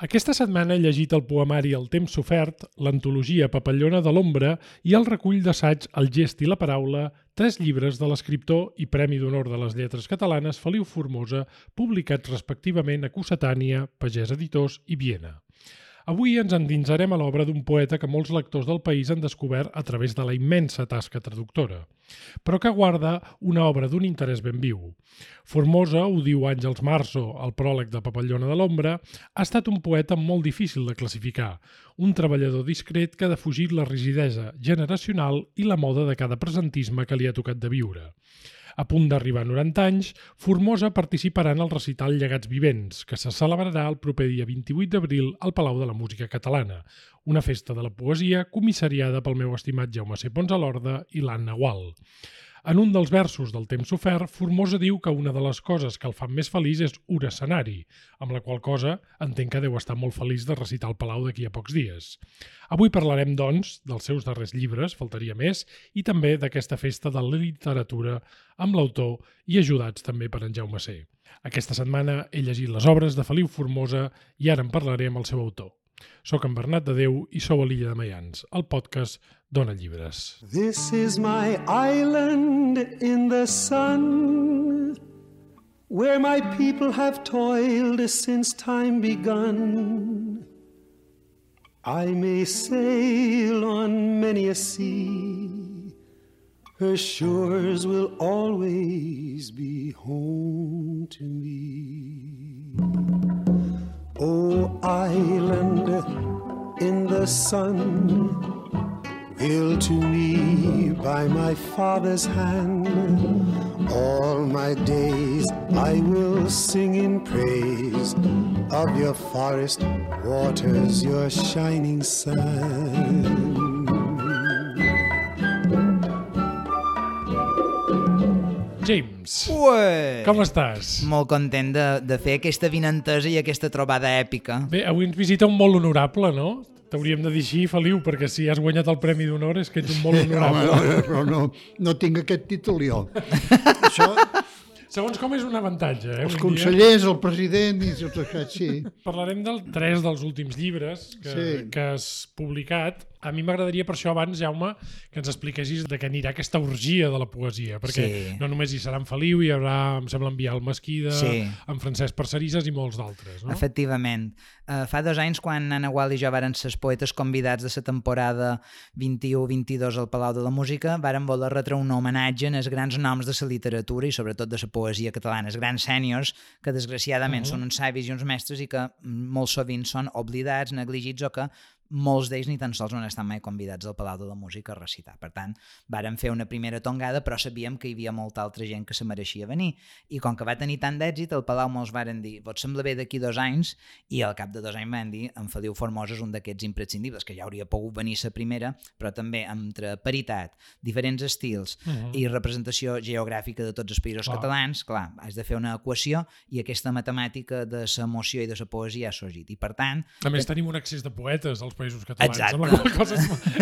Aquesta setmana he llegit el poemari El temps sofert, l'antologia Papallona de l'ombra i el recull d'assaig El gest i la paraula, 3 llibres de l'escriptor i Premi d'Honor de les Lletres Catalanes Feliu Formosa, publicats respectivament a Cossetània, Pagès Editors i Viena. Avui ens endinsarem a l'obra d'un poeta que molts lectors del país han descobert a través de la immensa tasca traductora, però que guarda una obra d'un interès ben viu. Formosa, ho diu Àngels Marzo al pròleg de Papallona de l'ombra, ha estat un poeta molt difícil de classificar, un treballador discret que ha defugit la rigidesa generacional i la moda de cada presentisme que li ha tocat de viure. A punt d'arribar a 90 anys, Formosa participarà en el recital Llegats Vivents, que se celebrarà el proper dia 28 d'abril al Palau de la Música Catalana, una festa de la poesia comissariada pel meu estimat Jaume C. Pons a l'Horda i l'Anna Gual. En un dels versos del temps sofert, Formosa diu que una de les coses que el fan més feliç és un escenari, amb la qual cosa entenc que deu estar molt feliç de recitar al Palau d'aquí a pocs dies. Avui parlarem, doncs, dels seus darrers llibres, faltaria més, i també d'aquesta festa de la literatura amb l'autor i ajudats també per en Jaume C. Aquesta setmana he llegit les obres de Feliu Formosa i ara en parlaré amb el seu autor. Soc en Bernat de Déu i sou a l'Illa de Maians, el podcast Dona Llibres. This is my island in the sun, where my people have toiled since time begun. I may sail on many a sea, her shores will always be home to me. Oh, island in the sun, built to me by my father's hand, all my days I will sing in praise of your forest waters, your shining sun. James, Ué! com estàs? Molt content de fer aquesta vinentesa i aquesta trobada èpica. Bé, avui ens visita un molt honorable, no? T'hauríem de dir així, Feliu, perquè si has guanyat el Premi d'Honor és que ets un molt honorable. Home, però no tinc aquest títol jo. Això, Segons com és un avantatge, els avui dia. consellers, el president i tots aquests, sí. Parlarem dels 3 dels últims llibres que has publicat. A mi m'agradaria per això abans, Jaume, que ens expliquessis de què anirà aquesta orgia de la poesia, perquè no només hi serà en Feliu, hi haurà, em sembla, en Biel Mesquida, en Francesc Parcerisas i molts d'altres, no? Efectivament. Fa 2 anys, quan Anna Gual i jo varen ser poetes convidats de la temporada 21-22 al Palau de la Música, varen voler retre un homenatge als grans noms de la literatura i sobretot de la poesia catalana, els grans sèniors que desgraciadament són uns savis i uns mestres i que molt sovint són oblidats, negligits o que molts d'ells ni tan sols no han estat mai convidats al Palau de la Música a recitar. Per tant, vàrem fer una primera tongada, però sabíem que hi havia molta altra gent que se mereixia venir. I com que va tenir tant d'èxit, al Palau mos varen dir, vos sembla bé d'aquí 2 anys? I al cap de 2 anys van dir, en Feliu Formosa és un d'aquests imprescindibles, que ja hauria pogut venir la primera, però també entre paritat, diferents estils i representació geogràfica de tots els països catalans, clar, has de fer una equació i aquesta matemàtica de l'emoció i de la poesia ha sorgit. I per tant... A més, tenim un excés de poetes als països catalans, amb la qual cosa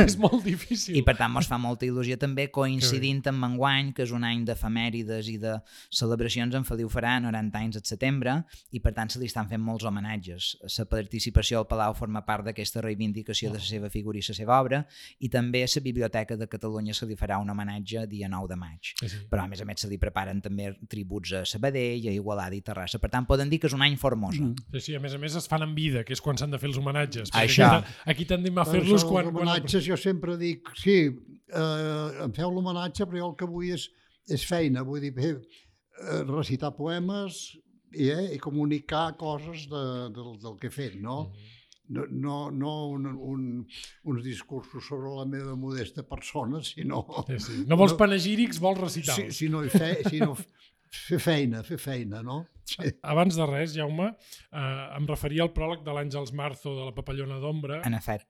és molt difícil. I per tant mos fa molta il·lusió també coincidint amb enguany, que és un any d'efemèrides i de celebracions. En Feliu farà 90 anys al setembre i per tant se li estan fent molts homenatges. La participació al Palau forma part d'aquesta reivindicació de la seva figura i la seva obra i també a la Biblioteca de Catalunya se li farà un homenatge dia 9 de maig. Però a més se li preparen també tributs a Sabadell, a Igualada i Terrassa. Per tant poden dir que és un any Formosa. Sí, a més es fan en vida, que és quan s'han de fer els homenatges. Això. Aquí tendim a fer-los quan... Els homenatges jo sempre dic, sí, em feu l'homenatge, però jo el que vull és feina, vull dir, recitar poemes i comunicar coses del que he fet, no? No uns discursos sobre la meva modesta persona, sinó... Sí. No vols panegírics, vols recitar. Sinó fer feina, no? Sí. Abans de res, Jaume, em referia al pròleg de l'Àngels Marzo de la Papallona d'ombra,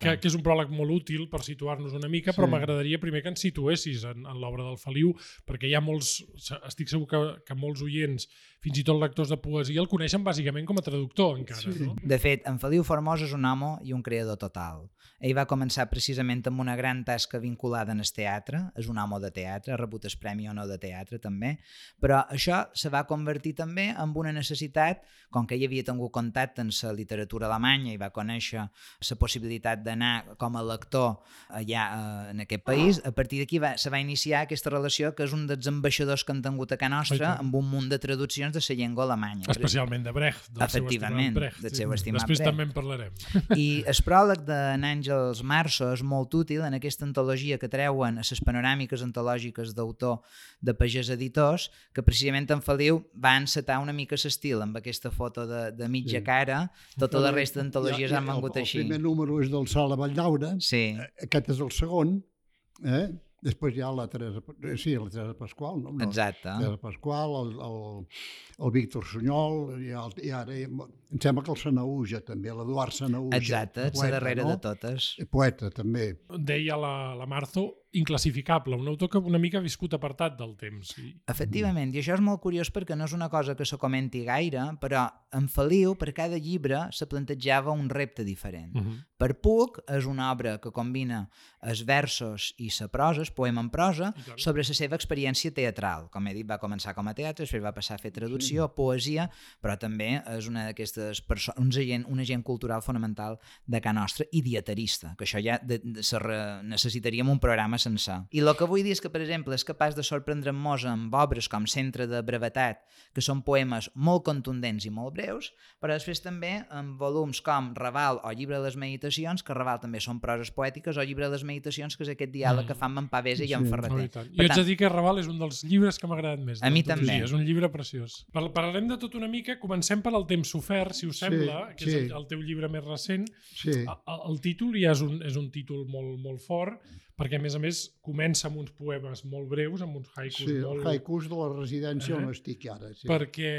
que és un pròleg molt útil per situar-nos una mica, però m'agradaria primer que ens situessis en l'obra del Feliu, perquè hi ha molts, estic segur que molts oients, fins i tot lectors de poesia, el coneixen bàsicament com a traductor encara. No? De fet, en Feliu Formosa és un home i un creador total. Ell va començar precisament amb una gran tasca vinculada en el teatre, és un home de teatre, ha rebut el Premi Honor de Teatre també, però això se va convertir també en una una necessitat, com que ell havia tingut contacte amb la literatura alemanya i va conèixer la possibilitat d'anar com a lector allà en aquest país, a partir d'aquí se va iniciar aquesta relació que és un dels ambaixadors que han tingut a casa nostra amb un munt de traduccions de la llengua alemanya. Especialment de Brecht, del seu estimat Brecht. Del seu estimat Després Brecht. també en parlarem. I el pròleg d'en Àngels Marzo és molt útil en aquesta antologia que treuen a les panoràmiques antològiques d'autor de Pagès Editors, que precisament en Feliu va encetar una mica l'estil amb aquesta foto de mitja cara, tota la resta d'antologies han vengut així. El primer número és del Sala Valldaura, aquest és el segon, després hi ha la Teresa Pasqual, no? Exacte. Teresa Pasqual, el Víctor Sunyol, i ara em sembla que el Sanaúja també, l'Eduard Sanaúja. Exacte, és la darrera de totes. Poeta també. Deia la Marzo, inclassificable, un autor que una mica ha viscut apartat del temps. Efectivament, i això és molt curiós perquè no és una cosa que se comenti gaire, però en Feliu, per cada llibre, se plantejava un repte diferent. Per Puig és una obra que combina els versos i la prosa, el poema en prosa, sobre la seva experiència teatral. Com he dit, va començar com a teatre, després va passar a fer traducció, poesia, però també és una d'aquestes persones, un agent cultural fonamental de casa nostra i dietarista, que això ja necessitaríem un programa sencer. I el que vull dir és que, per exemple, és capaç de sorprendre'ns amb obres com Centre de Brevetat, que són poemes molt contundents i molt breus, però després també en volums com Raval o Llibre de les Meditacions, que Raval també són proses poètiques, o Llibre de les Meditacions, que és aquest diàleg que fan amb en Pavesa i en Ferreter. Jo haig de dir que Raval és un dels llibres que m'ha agradat més. A mi també. És un llibre preciós. Parlarem de tot una mica, comencem per El temps sofert, si us sembla, que és el teu llibre més recent. El títol ja és un títol molt fort, perquè a més comença amb uns poemes molt breus, amb uns haikus molt... Sí, haikus de la residència on estic ara. Perquè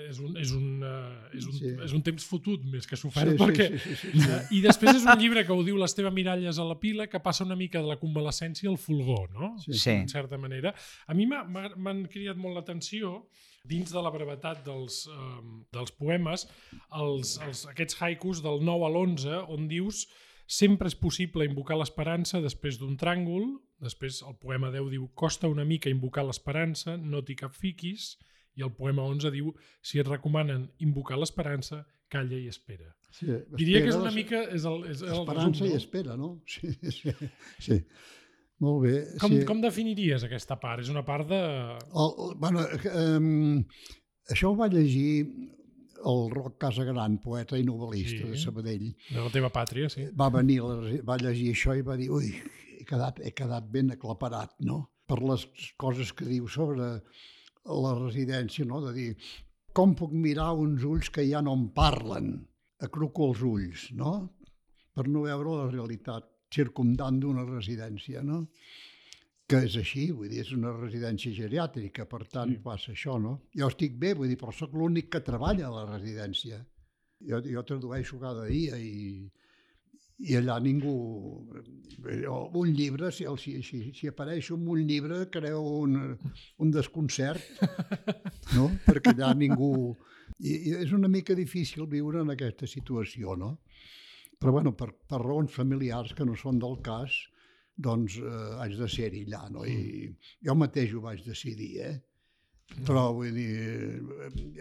és un temps fotut més que sofert. I després és un llibre que ho diu l'Esteve Miralles a la pila, que passa una mica de la convalescència al fulgor, no? En certa manera. A mi m'han cridat molt l'atenció dins de la brevetat dels poemes, aquests haikus del 9 a l'11, on dius sempre és possible invocar l'esperança després d'un tràngol, després el poema 10 diu costa una mica invocar l'esperança, no t'hi capfiquis, i el poema 11 diu si et recomanen invocar l'esperança, calla i espera. Diria que és una mica... Esperança i espera, no? Sí. Molt bé. Com definiries aquesta part? És una part de... Això ho va llegir el Roc Casagran, poeta i novel·lista de Sabadell. De la teva pàtria, sí. Va venir, va llegir això i va dir ui, he quedat ben aclaparat, no? Per les coses que diu sobre la residència, no? De dir, com puc mirar uns ulls que ja no em parlen? Acruco els ulls, no? Per no veure la realitat circumdant d'una residència, no? Que és així, vull dir, és una residència geriàtrica, per tant passa això, no? Jo estic bé, vull dir, però soc l'únic que treballa a la residència. Jo tradueixo cada dia i allà ningú... Un llibre, si apareixo en un llibre, creu un desconcert, no? Perquè allà ningú... I és una mica difícil viure en aquesta situació, no? Però, bueno, per raons familiars que no són del cas, doncs haig de ser-hi allà, no? I jo mateix ho vaig decidir, Però, vull dir,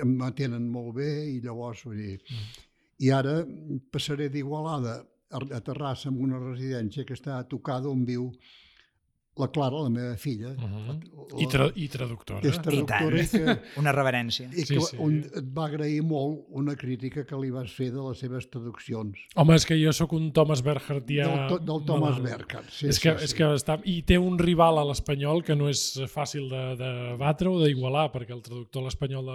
em tenen molt bé i llavors, vull dir... I ara passaré d'Igualada a Terrassa amb una residència que està tocada on viu la Clara, la meva filla. I traductora. Que és traductora. I tant. Una reverència. I que et va agrair molt una crítica que li vas fer de les seves traduccions. Home, és que jo sóc un Thomas Bergertià... Del Thomas Bergert, sí. És que està... I té un rival a l'espanyol que no és fàcil de batre o d'igualar, perquè el traductor a l'espanyol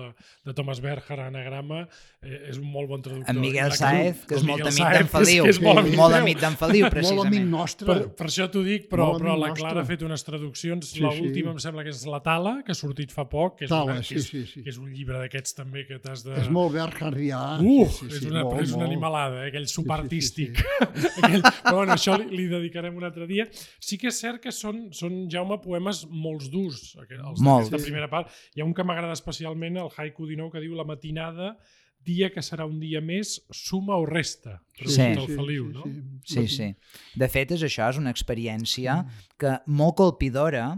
de Thomas Bergert, Anagrama, és un molt bon traductor. En Miguel Saez, que és molt amic d'en Feliu. Molt amic d'en Feliu, precisament. Molt amic nostre. Per això t'ho dic, però la Clara fet unes traduccions, l'última em sembla que és La Tala, que ha sortit fa poc, que és un llibre d'aquests també que t'has de... És molt Bergertià. És una animalada, aquell subartístic. Però bueno, això li dedicarem un altre dia. Sí que és cert que són, Jaume, poemes molt durs, els d'aquesta primera part. Hi ha un que m'agrada especialment, el haiku 19, que diu la matinada, dia que serà un dia més, suma o resta? Pregunta el Feliu, no? Sí. De fet, això és una experiència que molt colpidora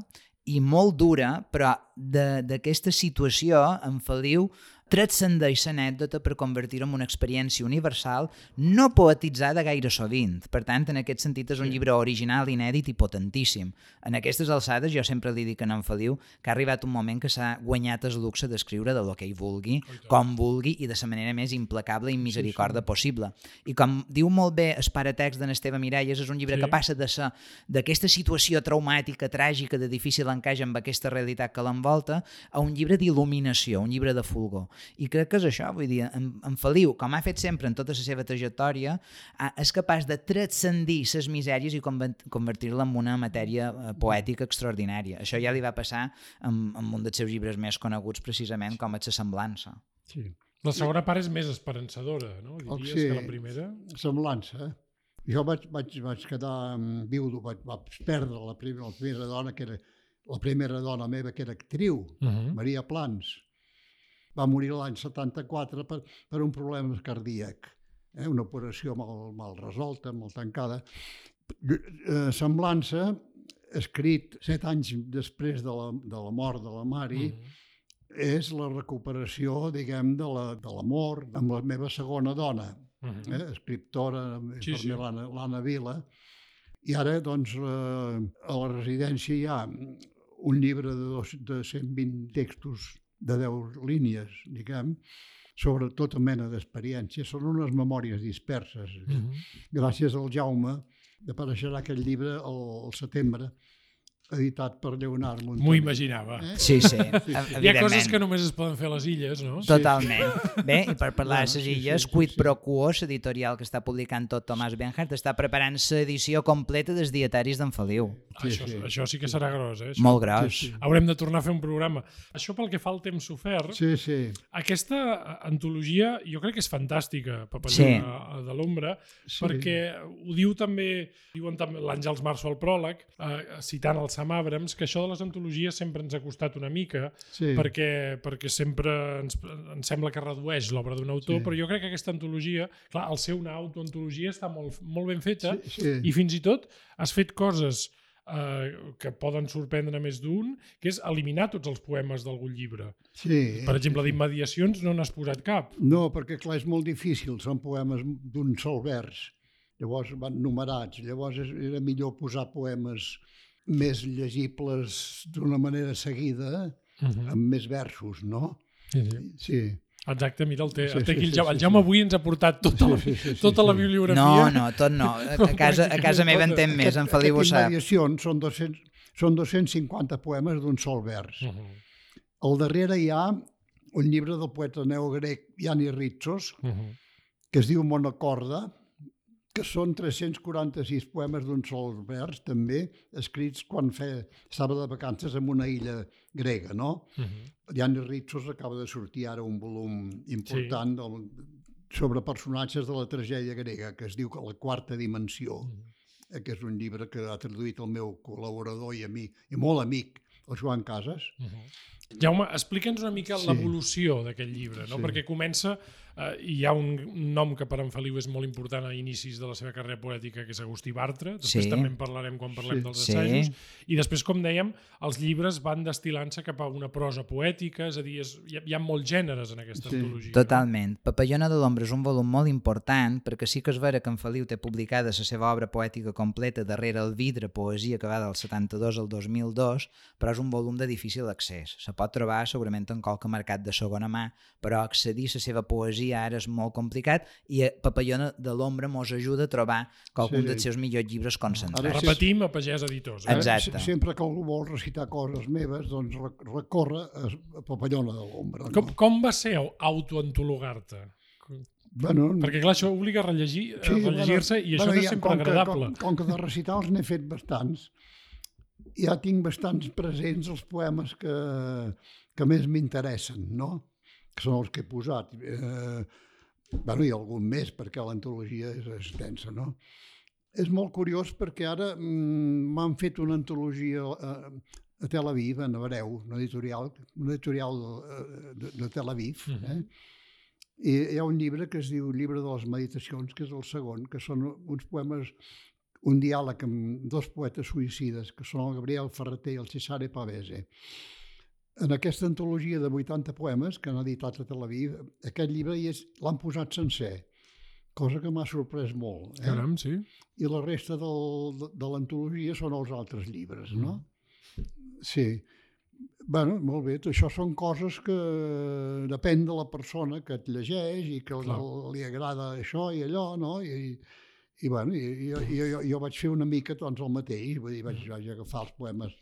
i molt dura, però d'aquesta situació en Feliu transcendeix l'anècdota per convertir-ho en una experiència universal no poetitzada gaire sovint. Per tant, en aquest sentit és un llibre original, inèdit i potentíssim. En aquestes alçades jo sempre li dic a en Feliu que ha arribat un moment que s'ha guanyat el luxe d'escriure de lo que ell vulgui, com vulgui i de la manera més implacable i misericorda possible. I com diu molt bé el paratext d'en Esteve Miralles, és un llibre que passa d'aquesta situació traumàtica, tràgica, de difícil encaix amb aquesta realitat que l'envolta, a un llibre d'il·luminació, un llibre de fulgor. I crec que és això, vull dir, en Feliu, com ha fet sempre en tota la seva trajectòria, és capaç de transcendir les misèries i convertir-la en una matèria poètica extraordinària. Això ja li va passar amb un dels seus llibres més coneguts, precisament, com és La semblança. Sí. La segona part és més esperançadora, no? Diries que la primera? Semblança. Jo vaig quedar viudo, vaig perdre la primera dona, que era la primera dona meva, que era actriu, Maria Plans. Va morir l'any 74 per un problema cardíac, una operació mal resolta, molt tancada. Semblança, escrit 7 anys després de la mort de la Mari, és la recuperació, diguem, de l'amor amb la meva segona dona, escriptora, l'Anna Vila. I ara, doncs, a la residència hi ha un llibre de 120 textos de 10 línies, diguem, sobre tota mena d'experiències. Són unes memòries disperses. Gràcies al Jaume apareixerà aquest llibre al setembre, editat per Lleonard Montaner. M'ho imaginava. Sí, evidentment. Hi ha coses que només es poden fer a les illes, no? Totalment. Bé, i per parlar de les illes, Quid Pro Quo, l'editorial que està publicant tot Tomàs Benhart, està preparant l'edició completa dels dietaris d'en Feliu. Això sí que serà gros, eh? Molt gros. Haurem de tornar a fer un programa. Això pel que fa al temps sofert, aquesta antologia jo crec que és fantàstica, Papallona de l'Ombra, perquè ho diu també, diuen també l'Àngels Março al pròleg, citant el Sam Abrams, que això de les antologies sempre ens ha costat una mica, perquè sempre ens sembla que redueix l'obra d'un autor, però jo crec que aquesta antologia, clar, al ser una autoantologia està molt ben feta, i fins i tot has fet coses que poden sorprendre més d'un, que és eliminar tots els poemes d'algun llibre. Per exemple, d'immediacions no n'has posat cap. No, perquè clar, és molt difícil, són poemes d'un sol vers, llavors van numerats, llavors era millor posar poemes més llegibles d'una manera seguida, amb més versos, no? Sí. Exacte, mira, el Jaume avui ens ha portat tota la bibliografia. No, tot no. A casa meva en tem més, en Feliu ho sap. Immediacions són 250 poemes d'un sol vers. Al darrere hi ha un llibre del poeta neogrec Yannis Ritsos, que es diu Monocorda, que són 346 poemes d'un sol vers, també, escrits quan estava de vacances en una illa grega, no? Yannis Ritsos acaba de sortir ara un volum important sobre personatges de la tragèdia grega, que es diu La quarta dimensió, que és un llibre que ha traduït el meu col·laborador i amic, i molt amic, el Joan Casas. Jaume, explica'ns una mica l'evolució d'aquest llibre, no? Perquè comença, hi ha un nom que per en Feliu és molt important a inicis de la seva carrera poètica, que és Agustí Bartra, després també en parlarem quan parlem dels assajos, i després, com dèiem, els llibres van destil·lant-se cap a una prosa poètica, és a dir, hi ha molts gèneres en aquesta antologia. Totalment. Papallona de l'Ombra és un volum molt important, perquè sí que és vera que en Feliu té publicada la seva obra poètica completa darrere el vidre, poesia, que va del 72 al 2002, però és un volum de difícil accés. Se pot trobar segurament en qualque mercat de segona mà, però accedir a la seva poesia ara és molt complicat i Papallona de l'Ombra mos ajuda a trobar qualcun dels seus millors llibres concentrats. Repetim a Pagès Editors. Exacte. Sempre que algú vol recitar coses meves, doncs recorre a Papallona de l'Ombra. Com va ser autoantologar-te? Perquè clar, això obliga a rellegir-se i això no és sempre agradable. Com que de recitals n'he fet bastants, ja tinc bastants presents els poemes que més m'interessen, no? Que són els que he posat. I algun més, perquè l'antologia és extensa, no? És molt curiós perquè ara m'han fet una antologia a Tel Aviv, en hebreu, un editorial de Tel Aviv. I hi ha un llibre que es diu Llibre de les Meditacions, que és el segon, que són uns poemes, un diàleg amb dos poetes suïcides, que són el Gabriel Ferreter i el Cesare Pavese. En aquesta antologia de 80 poemes que han editat a Tel Aviv, aquest llibre l'han posat sencer, cosa que m'ha sorprès molt. Caram, sí. I la resta de l'antologia són els altres llibres, no? Sí. Bueno, molt bé, això són coses que depèn de la persona que et llegeix i que li agrada això i allò, no? I bueno, jo vaig fer una mica doncs el mateix, vull dir, vaig agafar els poemes.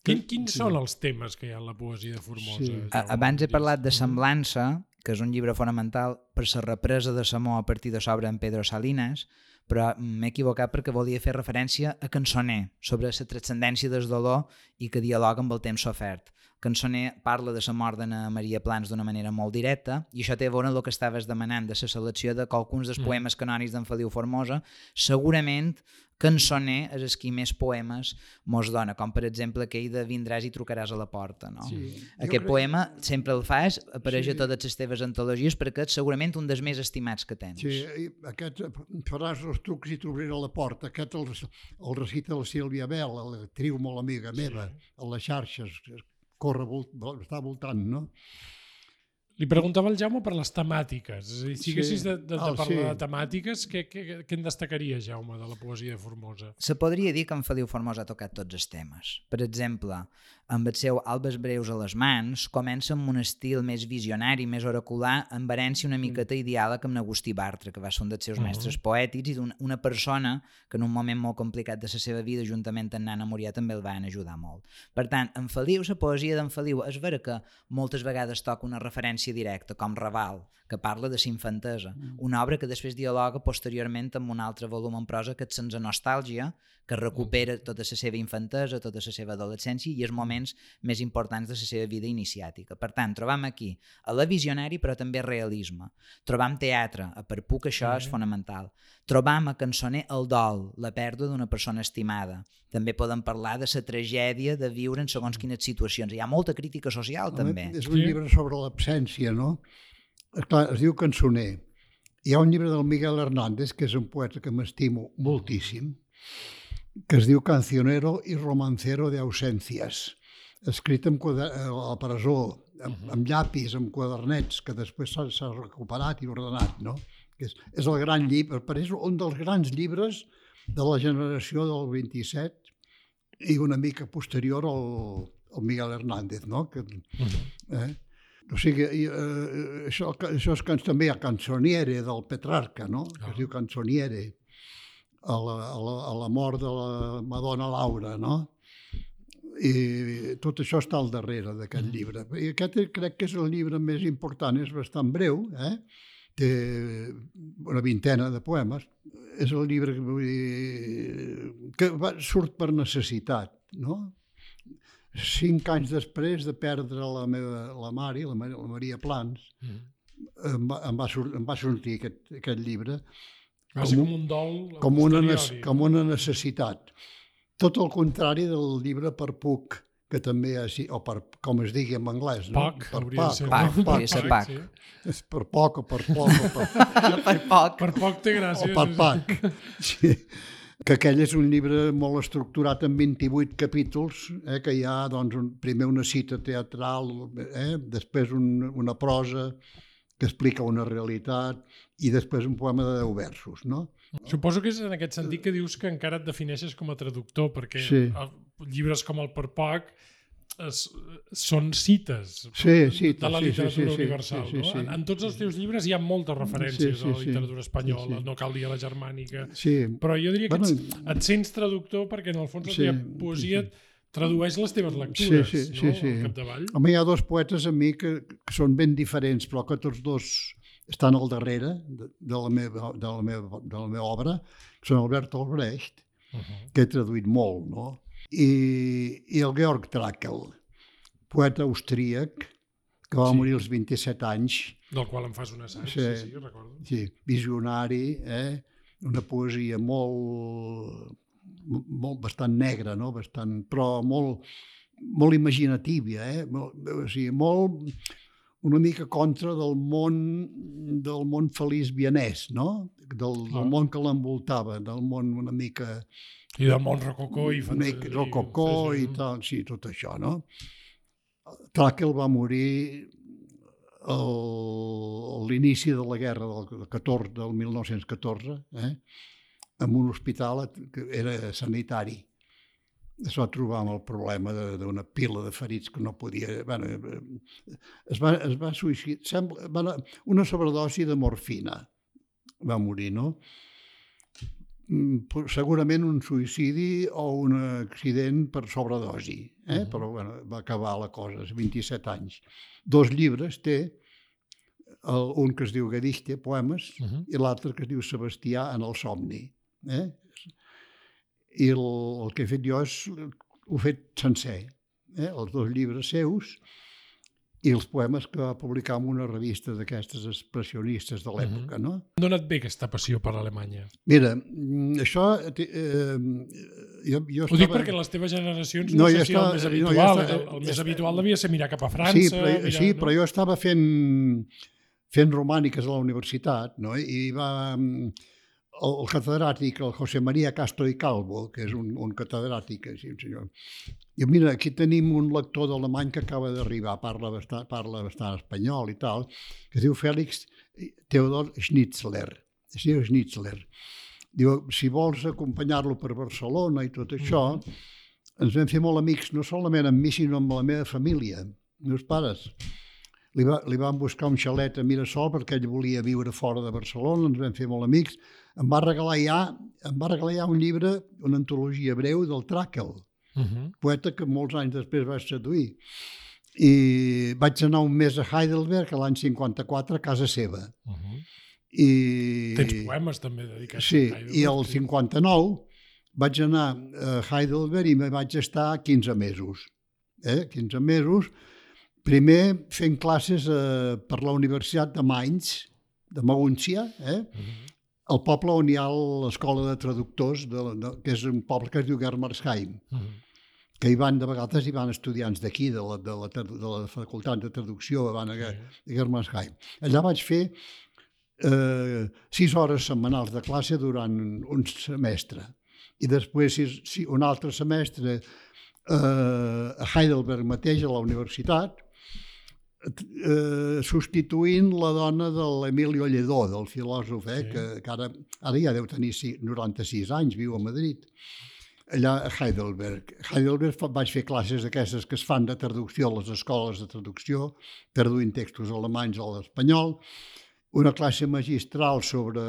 Quins són els temes que hi ha en la poesia de Formosa? Sí. Abans he parlat de Semblança, que és un llibre fonamental per la represa de Samó a partir de l'obra en Pedro Salinas, però m'he equivocat perquè volia fer referència a Cançoner, sobre la transcendència del dolor i que dialoga amb el temps sofert. Cançoner parla de la mort d'Anna Maria Plans d'una manera molt directa i això té a veure amb el que estaves demanant de la selecció de qualcuns dels poemes canònics d'en Feliu Formosa. Segurament Cançoner és el qui més poemes mos dona, com per exemple aquell de Vindràs i trucaràs a la porta. No? Sí. Aquest poema sempre el fas, apareix a totes les teves antologies perquè és segurament un dels més estimats que tens. Sí, aquest faràs els trucs i t'obriré a la porta. Aquest el recita la Sílvia Bell, l'actriu molt amiga meva, a les xarxes, està voltant, no? Li preguntava al Jaume per les temàtiques. És a dir, si haguessis de parlar de temàtiques, què en destacaria, Jaume, de la poesia de Formosa? Se podria dir que en Feliu Formosa ha tocat tots els temes. Per exemple, amb el seu Albes breus a les mans, comença amb un estil més visionari, més oracular, amb herència una miqueta i diàleg amb Agustí Bartra, que va ser un dels seus mestres poètics i d'una persona que en un moment molt complicat de la seva vida, juntament amb Nana Murià, també el van ajudar molt. Per tant, en Feliu, la poesia d'en Feliu, és vera que moltes vegades toca una referència directa, com Raval, que parla de l'infantesa, una obra que després dialoga posteriorment amb un altre volum en prosa que és Sense nostàlgia, que recupera tota la seva infantesa, tota la seva adolescència i els moments més importants de la seva vida iniciàtica. Per tant, trobam aquí a la visionari però també realisme. Trobam teatre, a per puc això és fonamental. Trobam a Cançoner el dol, la pèrdua d'una persona estimada. També podem parlar de la tragèdia de viure en segons quines situacions. Hi ha molta crítica social també. És un llibre sobre l'absència, no? Clar, es diu Cançoner. Hi ha un llibre del Miguel Hernández, que és un poeta que m'estimo moltíssim, que es diu Cancionero y romancero de ausencias, escrit a la presó, amb llapis, amb quadernets, que després s'ha recuperat i ordenat, no? És el gran llibre, és un dels grans llibres de la generació del 27 i una mica posterior al Miguel Hernández, no? O sigui, això és també a Canzoniere del Petrarca, no? Que es diu Canzoniere, a la mort de la Madonna Laura, no? I tot això està al darrere d'aquest llibre. I aquest crec que és el llibre més important, és bastant breu, té una vintena de poemes. És el llibre que surt per necessitat, no? 5 anys després de perdre la Mari, la Maria Plans, em va sortir aquest llibre com un dol com una necessitat. Tot el contrari del llibre Per Puc, que també o com es digui en anglès, no? Puck, hauria de ser Puck. És per poc o per poc. Per poc. Per poc té gràcia. O per Puck. Sí. Que aquell és un llibre molt estructurat en 28 capítols, que hi ha doncs, primer una cita teatral, després una prosa que explica una realitat i després un poema de 10 versos, no? Suposo que és en aquest sentit que dius que encara et defineixes com a traductor, perquè llibres com el Per Poc són cites de la literatura universal. En tots els teus llibres hi ha moltes referències a la literatura espanyola, no cal dir a la germànica, però jo diria que et sents traductor perquè en el fons la teva poesia tradueix les teves lectures al capdavall. Home, hi ha 2 poetes a mi que són ben diferents, però que tots 2 estan al darrere de la meva obra, que són Albert Albrecht, que he traduït molt, no? I el Georg Trakl, poeta austríac, que va morir als 27 anys. Del qual em fas un assaig, sí, recordo. Sí, visionari, una poesia bastant negra, no? Però molt imaginativa, o sigui, una mica contra del món feliç vienès, no? Del món que l'envoltava, del món una mica... I del món rococó i rococó i tal, sí, tot això, no? Tràquel va morir a l'inici de la guerra del 1914, en un hospital que era sanitari. Es va trobar amb el problema d'una pila de ferits que no podia... Bueno, es va suïcidar, una sobredosi de morfina va morir, no? Segurament un suïcidi o un accident per sobredosi, però bueno, va acabar la cosa, 27 anys. 2 llibres té, un que es diu Gedichte, poemes, i l'altre que es diu Sebastià en el somni. I el que he fet jo ho he fet sencer, els 2 llibres seus i els poemes que va publicar en una revista d'aquestes expressionistes de l'època, no? On donat bé aquesta passió per Alemanya? Mira, això... Ho dic perquè les teves generacions no sé si era el més habitual. El més habitual devia ser mirar cap a França. Sí, però jo estava fent romàniques a la universitat, no? I el catedràtic, el José María Castro y Calvo, que és un catedràtic, sí, un senyor. I mira, aquí tenim un lector d'alemany que acaba d'arribar, parla bastant espanyol i tal, que es diu Félix Theodor Schnitzler. Es diu Schnitzler. Diu, si vols acompanyar-lo per Barcelona i tot això, ens vam fer molt amics, no solament amb mi, sinó amb la meva família, meus pares. Li van buscar un xalet a Mirasol perquè ell volia viure fora de Barcelona, ens vam fer molt amics. Em va regalar ja un llibre, una antologia breu del Tràquel, poeta que molts anys després vaig seduir. I vaig anar un mes a Heidelberg l'any 54 a casa seva. Tens poemes també dedicats a Heidelberg. Sí, i el 59 vaig anar a Heidelberg i me vaig estar 15 mesos. 15 mesos, primer fent classes per la Universitat de Mainz, de Magúncia, el poble on hi ha l'escola de traductors, que és un poble que es diu Germersheim, que de vegades hi van estudiants d'aquí, de la facultat de traducció, van a Germersheim. Allà vaig fer 6 hores setmanals de classe durant un semestre. I després un altre semestre a Heidelberg mateix, a la universitat, substituint la dona de l'Emilio Lledó, del filòsof, que ara ja deu tenir 96 anys, viu a Madrid, allà a Heidelberg. A Heidelberg vaig fer classes d'aquestes que es fan de traducció a les escoles de traducció, traduint textos alemanys a l'espanyol, una classe magistral sobre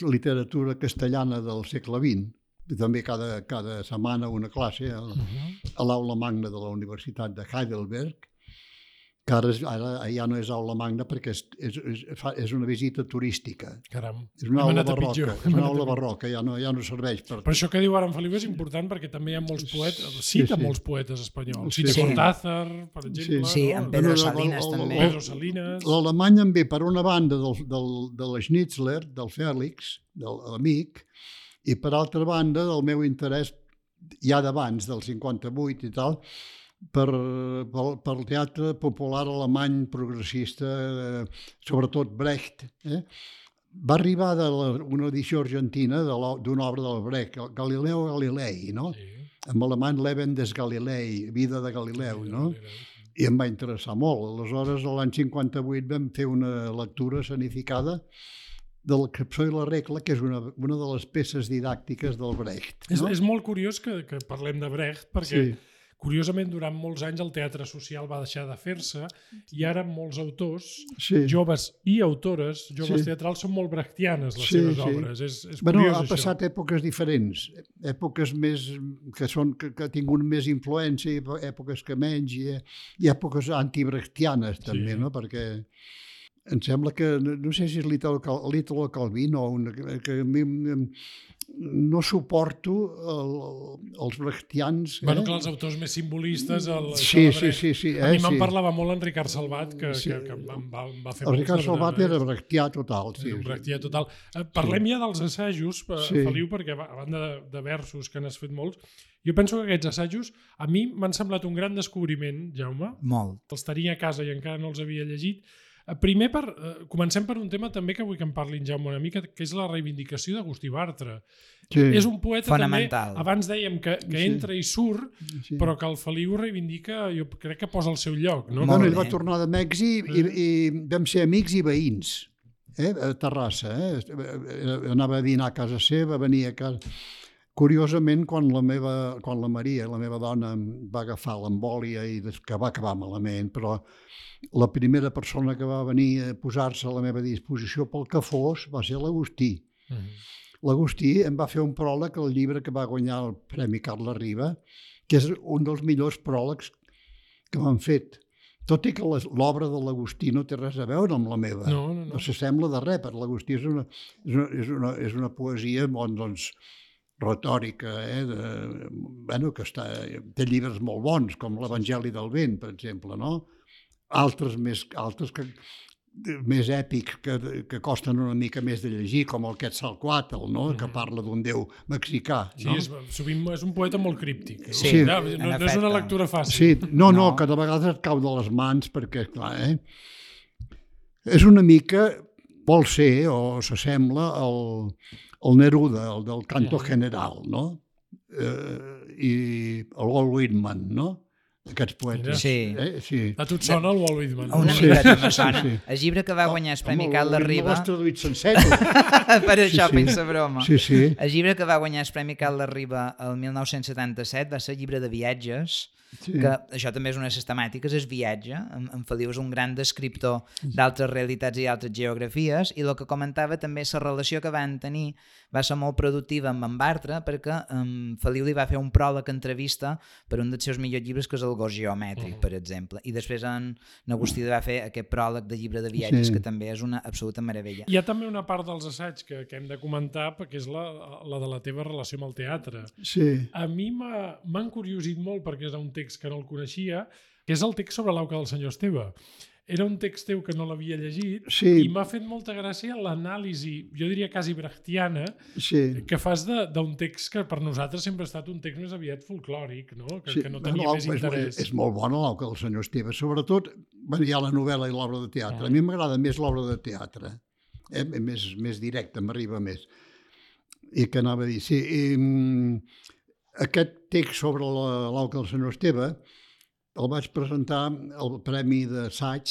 literatura castellana del segle XX, també cada setmana una classe a l'aula magna de la Universitat de Heidelberg, que ara ja no és aula magna perquè és una visita turística. Caram, és una aula barroca, ja no serveix per... Per això que diu ara en Feliu és important, perquè també hi ha molts poetes, cita molts poetes espanyols. Cita Cortázar, per exemple. Sí, en Pedro Salinas també. Pedro Salinas. L'alemany em ve per una banda de la Schnitzler, del Fèlix, de l'amic, i per altra banda del meu interès ja d'abans, del 58 i tal, per el teatre popular alemany progressista, sobretot Brecht. Va arribar una edició argentina d'una obra del Brecht, Galileo Galilei, no? En alemany Leben des Galilei, Vida de Galileu, no? I em va interessar molt. Aleshores, l'any 58 vam fer una lectura escenificada de la Capçó i la regla, que és una de les peces didàctiques del Brecht. És molt curiós que parlem de Brecht, perquè curiosament, durant molts anys el teatre social va deixar de fer-se i ara molts autors, joves i autores, joves teatrals, són molt brechtianes les seves obres. És curiós, ha passat èpoques diferents, èpoques més que ha tingut més influència, èpoques que menys, i èpoques antibrechtianes també, no? Perquè em sembla que, no sé si és l'Italo Calvino, que a mi no suporto els brechtians. Bueno, clar, els autors més simbolistes... Sí. A mi me'n parlava molt en Ricard Salvat, que em va fer... El Ricard Salvat era brechtià total. Un brechtià total. Parlem ja dels assajos, Feliu, perquè a banda de versos que n'has fet molts, jo penso que aquests assajos a mi m'han semblat un gran descobriment, Jaume. Molt. Els tenia a casa i encara no els havia llegit. Primer, comencem per un tema també que vull que en parli en Jaume una mica, que és la reivindicació d'Agustí Bartra. Sí. És un poeta fonamental. també, abans dèiem que entra i surt, però que el Feliu reivindica, jo crec que posa al seu lloc. No? Ell va tornar de Mèxic i vam ser amics i veïns, a Terrassa. Anava a dinar a casa seva, venia a casa... Curiosament, quan la Maria, la meva dona, va agafar l'embòlia i que va acabar malament, però la primera persona que va venir a posar-se a la meva disposició pel que fos va ser l'Agustí. L'Agustí em va fer un pròleg al llibre que va guanyar el Premi Carles Riba, que és un dels millors pròlegs que m'han fet. Tot i que l'obra de l'Agustí no té res a veure amb la meva. No s'assembla de res, perquè l'Agustí és una poesia doncs, retòrica, que té llibres molt bons, com l'Evangeli del Vent, per exemple, no? Altres més èpics que costen una mica més de llegir, com el Quetzalcóatl, no? Que parla d'un déu mexicà. No? Sí, sovint és un poeta molt críptic. Sí, no és una lectura fàcil. Sí, no, que de vegades et cau de les mans, perquè, clar, és una mica, vol ser, o s'assembla el Neruda, el del Canto General, no? I el Walt Whitman, no? Aquests poetes. Sí. A tu et sona el Walt Whitman? Una miqueta me sona. El llibre que va guanyar el Premi Carles Riba... L'has traduït sencer. Per això pensa broma. Sí. El llibre que va guanyar el Premi Carles Riba el 1977 va ser el llibre de viatges, que això també és una de les temàtiques, és viatge. En Feliu és un gran descriptor d'altres realitats i altres geografies, i el que comentava també la relació que van tenir va ser molt productiva amb en Bartra, perquè Feliu li va fer un pròleg entrevista per un dels seus millors llibres, que és el Gos Geomètric, per exemple, i després en Agustí va fer aquest pròleg de llibre de viatges, que també és una absoluta meravella. Hi ha també una part dels assaigs que hem de comentar, perquè és la de la teva relació amb el teatre. Sí. A mi m'ha encuriosit molt, perquè és un text que no el coneixia, que és el text sobre l'auca del senyor Esteve. Era un text teu que no l'havia llegit i m'ha fet molta gràcia l'anàlisi, jo diria quasi brechtiana, que fas d'un text que per nosaltres sempre ha estat un text més aviat folclòric, no? Que no tenia més interès. És molt bona l'auca del senyor Esteve, sobretot hi ha la novel·la i l'obra de teatre. A mi m'agrada més l'obra de teatre, més directa, m'arriba més. I que anava a dir, sí, aquest text sobre l'auca del senyor Esteve el vaig presentar al Premi d'Assaig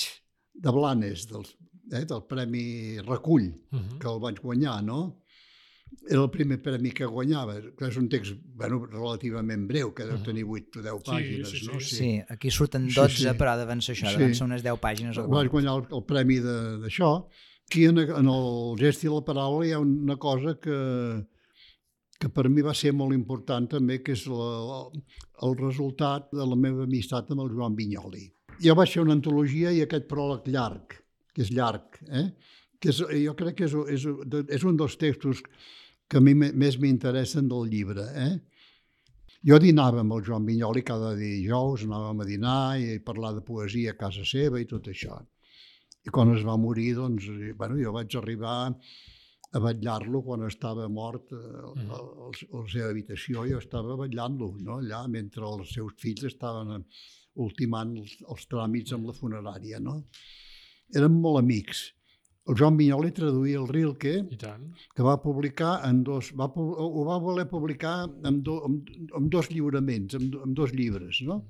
de Blanes, del Premi Recull, que el vaig guanyar, no? Era el primer premi que guanyava, que és un text relativament breu, que deu tenir 8 o 10 pàgines, no? Sí, aquí surten 12, però deuen ser això, deuen ser unes 10 pàgines. Vaig guanyar el premi d'això. Aquí en el gest i la paraula hi ha una cosa que per mi va ser molt important també, que és el resultat de la meva amistat amb el Joan Vinyoli. Jo vaig fer una antologia i aquest pròleg llarg, que és llarg, que jo crec que és un dels textos que a mi més m'interessen del llibre. Jo dinava amb el Joan Vinyoli cada dijous, anàvem a dinar i a parlar de poesia a casa seva i tot això. I quan es va morir, doncs, jo vaig arribar a vetllar-lo quan estava mort a la seva habitació. Jo estava vetllant-lo, no? Allà, mentre els seus fills estaven ultimant els tràmits amb la funerària. No? Érem molt amics. El Joan Vinyoli traduïa el Rilke, que va publicar ho va voler publicar amb 2 lliuraments, amb 2 llibres, no?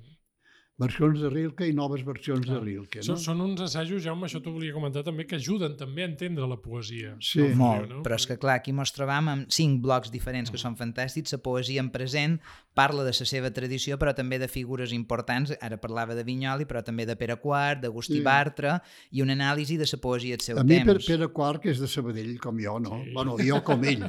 Versions de Rilke i noves versions de Rilke. No? Són uns assajos, Jaume, això t'ho volia comentar també, que ajuden també a entendre la poesia. Sí, molt, però és que clar, aquí mos trobam amb 5 blocs diferents que són fantàstics, la poesia en present parla de la seva tradició, però també de figures importants, ara parlava de Vinyoli, però també de Pere IV, d'Agustí Bartra, i una anàlisi de la poesia del seu temps. A mi Pere IV, que és de Sabadell, com jo, no? Bueno, jo com ell.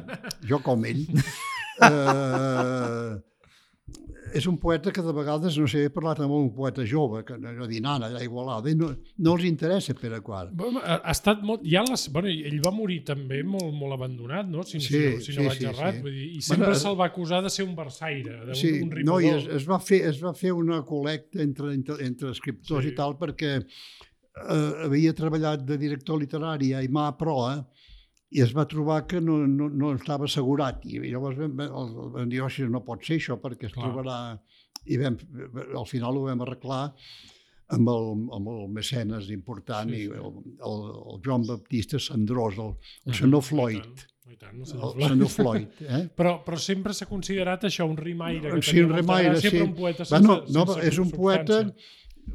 És un poeta que de vegades, no sé, he parlat amb un poeta jove, que dinant allà a Igualada, i no els interessa Pere IV. Ha estat molt... ell va morir també molt abandonat, no? Si no vaig errat. I sempre se'l va acusar de ser un versaire, d'un rimador. No, i es va fer una col·lecta entre escriptors i tal, perquè havia treballat de director literari a Aimà Proa, i es va trobar que no estava assegurat. I llavors vam dir, no pot ser això, perquè es trobarà... I al final ho vam arreglar amb el mecenes important, i el Joan Baptista Cendrós, el senyor Floyd. I tant, el senyor Floyd. Però sempre s'ha considerat això un rimaire, que Sí, tenia un molta rimaire, gràcia, sí. però un poeta sense És un poeta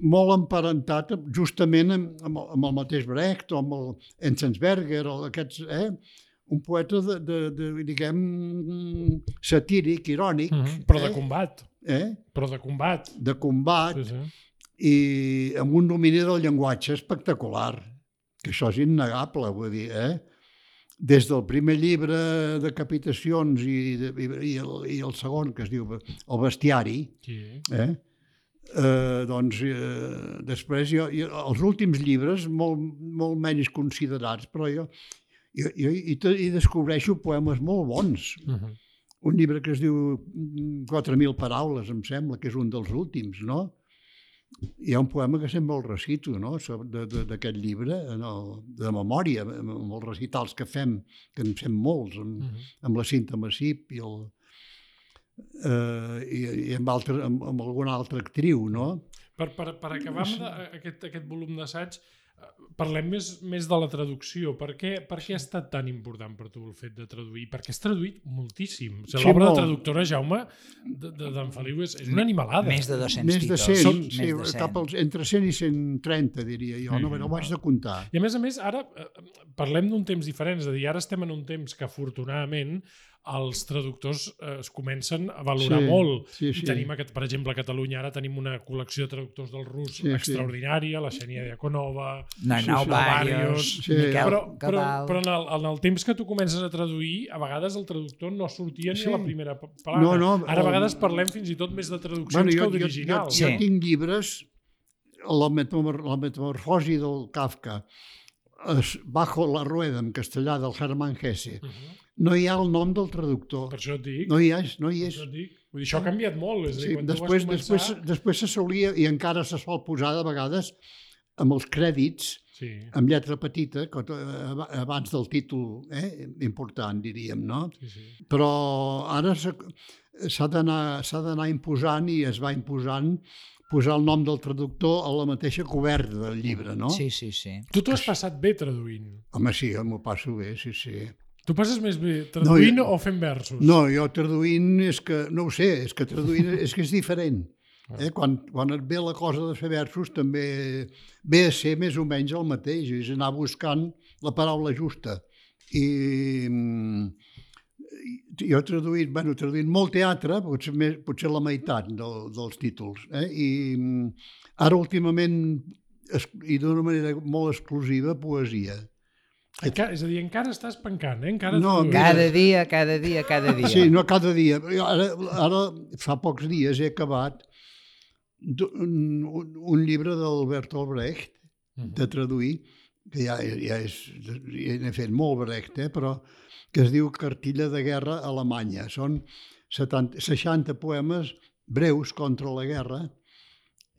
molt emparentat justament amb el mateix Brecht o amb el Enzensberger o aquests, un poeta diguem, satíric, irònic. Però de combat. Però de combat. De combat. Sí. I amb un domini del llenguatge espectacular, que això és innegable, vull dir, Des del primer llibre de Capitacions i el segon, que es diu El bestiari, doncs després els últims llibres, molt menys considerats, però jo hi descobreixo poemes molt bons. Un llibre que es diu 4.000 paraules, em sembla, que és un dels últims, no? Hi ha un poema que sempre el recito, no?, d'aquest llibre, de memòria, amb els recitals que en fem molts, amb la Cinta Massip i amb alguna altra actriu, no? Per acabar amb aquest volum d'assaig, parlem més de la traducció. Per què ha estat tan important per tu el fet de traduir? Perquè has traduït moltíssim. L'obra de traductora, Jaume, d'en Feliu, és una animalada. Més de 200 Més de títols. 100, sí, cap als entre 100 i 130, diria jo. No ho vaig de comptar. I a més, ara parlem d'un temps diferent. És a dir, ara estem en un temps que, afortunadament, els traductors es comencen a valorar molt. I tenim, per exemple, a Catalunya ara tenim una col·lecció de traductors del rus extraordinària, la Xènia Diakonova, Barrios, Miquel Cabal... Però en el temps que tu comences a traduir, a vegades el traductor no sortia ni a la primera paraula. Ara a vegades parlem fins i tot més de traduccions que d'originals. Jo tinc llibres, la metamorfosi del Kafka, Bajo la rueda, en castellà, del Hermann Hesse, no hi ha el nom del traductor. Per això et dic. No hi és. Vull dir, això ha canviat molt. És a dir, després se solia, i encara se sol posar de vegades, amb els crèdits, amb lletra petita, abans del títol important, diríem, no? Però ara s'ha d'anar imposant, i es va imposant, posar el nom del traductor a la mateixa coberta del llibre, no? Sí. Tu t'ho has passat bé traduint? Home, sí, m'ho passo bé, sí. Tu passes més bé traduint o fent versos? No, jo traduint és que, no ho sé, és que traduint és que és diferent. Quan et ve la cosa de fer versos també ve a ser més o menys el mateix, és anar buscant la paraula justa. I jo he traduït molt teatre, potser la meitat dels títols. I ara últimament, i d'una manera molt exclusiva, poesia. És a dir, encara estàs pencant, Cada dia. Sí, no cada dia. Ara fa pocs dies he acabat un llibre d'Albert Albrecht, de traduir, que ja n'he fet molt Brecht, però que es diu Cartilla de guerra alemanya. Són 60 poemes breus contra la guerra,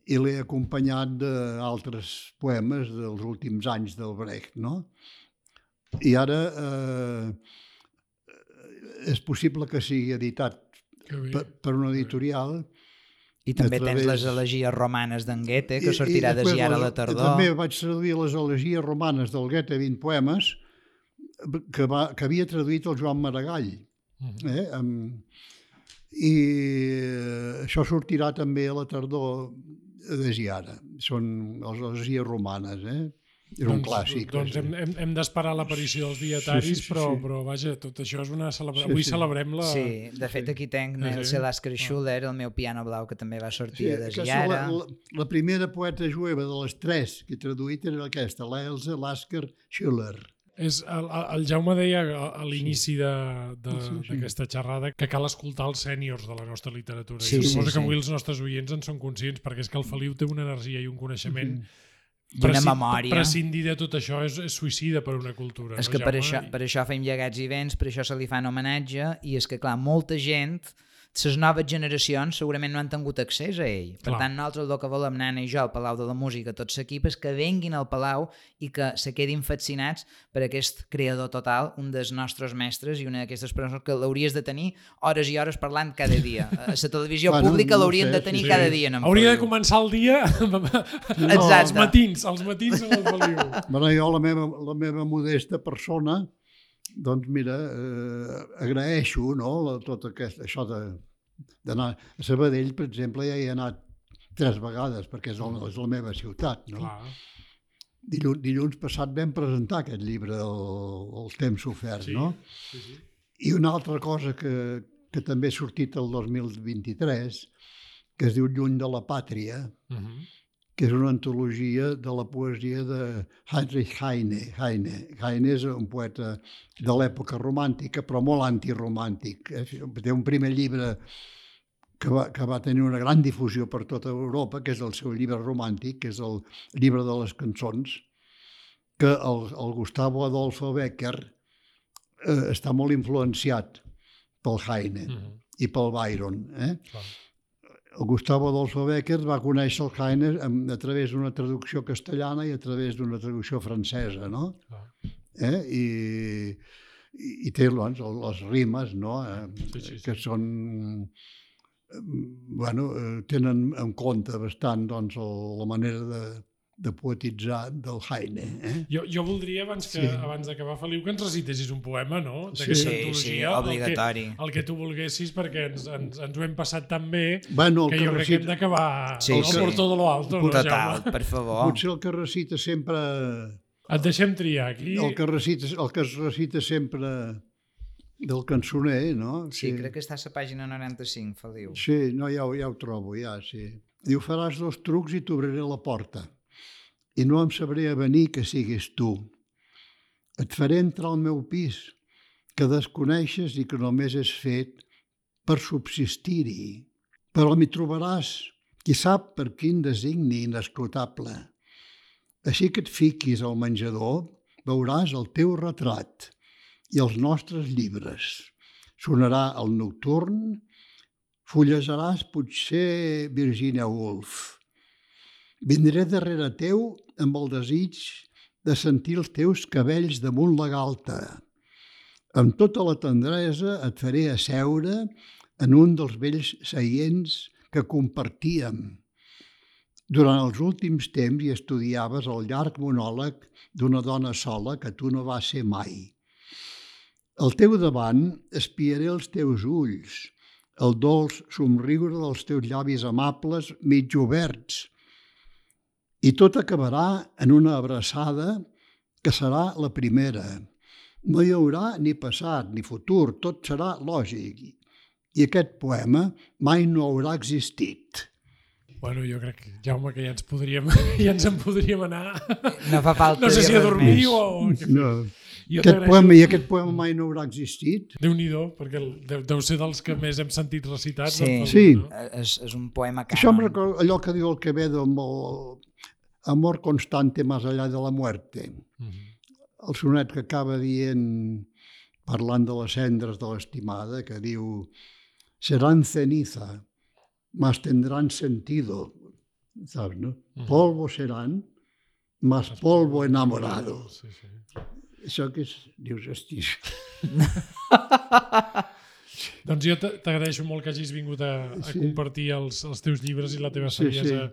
i l'he acompanyat d'altres poemes dels últims anys del Brecht, no? I ara és possible que sigui editat per una editorial. I també tens les elegies romanes d'en Goethe, que sortirà de ara a la tardor. També vaig traduir les elegies romanes del Goethe, 20 poemes, que havia traduït el Joan Maragall. I això sortirà també a la tardor de Giara. Són les elegies romanes, És un clàssic. Doncs hem d'esperar l'aparició dels dietaris, però vaja, tot això és una celebració. Avui celebrem la... Sí, de fet aquí tenc Nelse Lasker Schuller, el meu piano blau, que també va sortir de Giara. La primera poeta jueva de les 3 que he traduït era aquesta, l'Else Lasker Schuller. El Jaume deia a l'inici d'aquesta xerrada que cal escoltar els sèniors de la nostra literatura. Suposo que avui els nostres oients en són conscients, perquè és que el Feliu té una energia i un coneixement una memòria. Prescindir de tot això és suïcida per una cultura. És que per això fem llegats i vents, per això se li fan homenatge, i és que, clar, molta gent les noves generacions segurament no han tingut accés a ell. Per Clar. tant, nosaltres el que volem, Nana i jo, al Palau de la Música, tots l'equip, és que venguin al Palau i que se quedin fascinats per aquest creador total, un dels nostres mestres i una d'aquestes persones que l'hauries de tenir hores i hores parlant cada dia. A la televisió pública l'haurien de tenir cada dia. Hauria de començar el dia els matins amb el Feliu. Bueno, jo, la meva modesta persona, doncs mira, agraeixo, no?, tot això d'anar a Sabadell, per exemple, ja hi he anat 3 vegades, perquè és la meva ciutat, no? Clar. Dilluns passat vam presentar aquest llibre, El temps sofert, Sí, no? sí. I una altra cosa que també ha sortit el 2023, que es diu Lluny de la pàtria, que és una antologia de la poesia de Heinrich Heine. Heine és un poeta de l'època romàntica, però molt antiromàntic. Té un primer llibre que va tenir una gran difusió per tota Europa, que és el seu llibre romàntic, que és el llibre de les cançons, que el Gustavo Adolfo Bécquer està molt influenciat pel Heine i pel Byron. El Gustavo Adolfo Bécquer va conèixer el Heine a través d'una traducció castellana i a través d'una traducció francesa, no? I té les rimes, no? Que són... Bueno, tenen en compte bastant la manera de poetitzar del Heine. Jo voldria, abans d'acabar, Feliu, que ens recitessis un poema, no? Sí, obligatori. El que tu volguessis, perquè ens ho hem passat tan bé Bueno, que jo crec que hem d'acabar por todo lo alto. Total, per favor. Potser el que recita sempre... Et deixem triar aquí. El que es recita sempre del cançoner, no? Sí, crec que està a la pàgina 95, Feliu. Sí, no, ja ho trobo, sí. Diu, faràs 2 trucs i t'obriré la porta. I no em sabré avenir que siguis tu. Et faré entrar al meu pis, que desconeixes i que només és fet per subsistir-hi. Però m'hi trobaràs, qui sap per quin designi inescrutable. Així que et fiquis al menjador, veuràs el teu retrat i els nostres llibres. Sonarà el nocturn, fullejaràs potser Virginia Woolf. Vindré darrere teu amb el desig de sentir els teus cabells damunt la galta. Amb tota la tendresa et faré asseure en un dels vells seients que compartíem. Durant els últims temps hi estudiaves el llarg monòleg d'una dona sola que tu no vas ser mai. Al teu davant espiaré els teus ulls, el dolç somriure dels teus llavis amables mig oberts, i tot acabarà en una abraçada que serà la primera. No hi haurà ni passat ni futur, tot serà lògic. I aquest poema mai no haurà existit. Bueno, jo crec, Jaume, que ja ens en podríem anar. No fa falta. No sé si a dormir o... No. Aquest poema mai no haurà existit. Déu-n'hi-do, perquè deu ser dels que més hem sentit recitats. Sí, és un poema cànon. Això em recorda allò que diu el Quevedo amb el amor constante más allá de la muerte. El sonet que acaba dient, parlant de les cendres de l'estimada, que diu serán ceniza, mas tendrán sentido. ¿Sabes, no? Polvo serán, mas polvo enamorado. Sí. Això que és... Dius, hosti... Doncs jo t'agraeixo molt que hagis vingut a compartir els teus llibres i la teva saviesa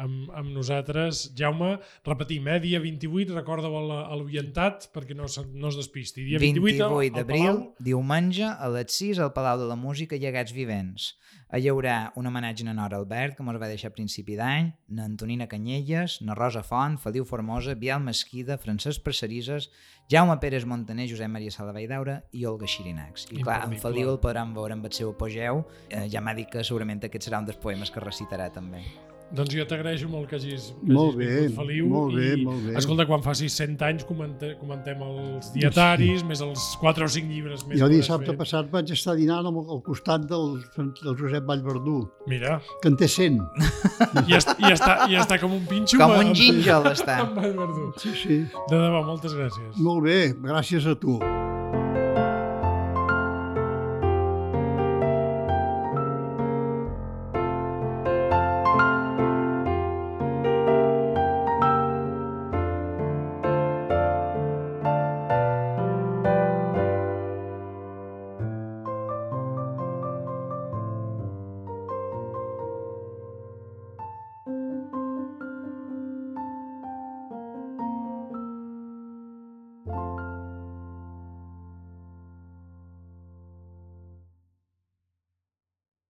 amb nosaltres. Jaume, repetim, dia 28, recorda-ho a l'orientat perquè no es despisti. Dia 28 d'abril, diumenge, a les 6 al Palau de la Música, Llegats Vivents. Hi haurà un homenatge a Nora Albert, que ens va deixar a principi d'any, na Antonina Canyelles, na Rosa Font, Feliu Formosa, Biel Mesquida, Francesc Precerisses, Jaume Pérez Montaner, Josep Maria Sala Valldaura i Olga Xirinacs. I clar, en Feliu el podran veure amb el seu apogeu. Ja m'ha dit que segurament aquest serà un dels poemes que recitarà també. Doncs jo t'agraeixo molt que hagis molt bé, vingut, Feliu. Molt bé. Escolta, quan facis 100 anys comentem els dietaris, més els 4 o 5 llibres més. Jo dissabte passat vaig estar dinant al costat del Josep Vallverdú. Mira. Que en té 100. I està com un pinxo. Com un gínjol està. Amb Vallverdú. Sí. De debò, moltes gràcies. Molt bé, gràcies a tu.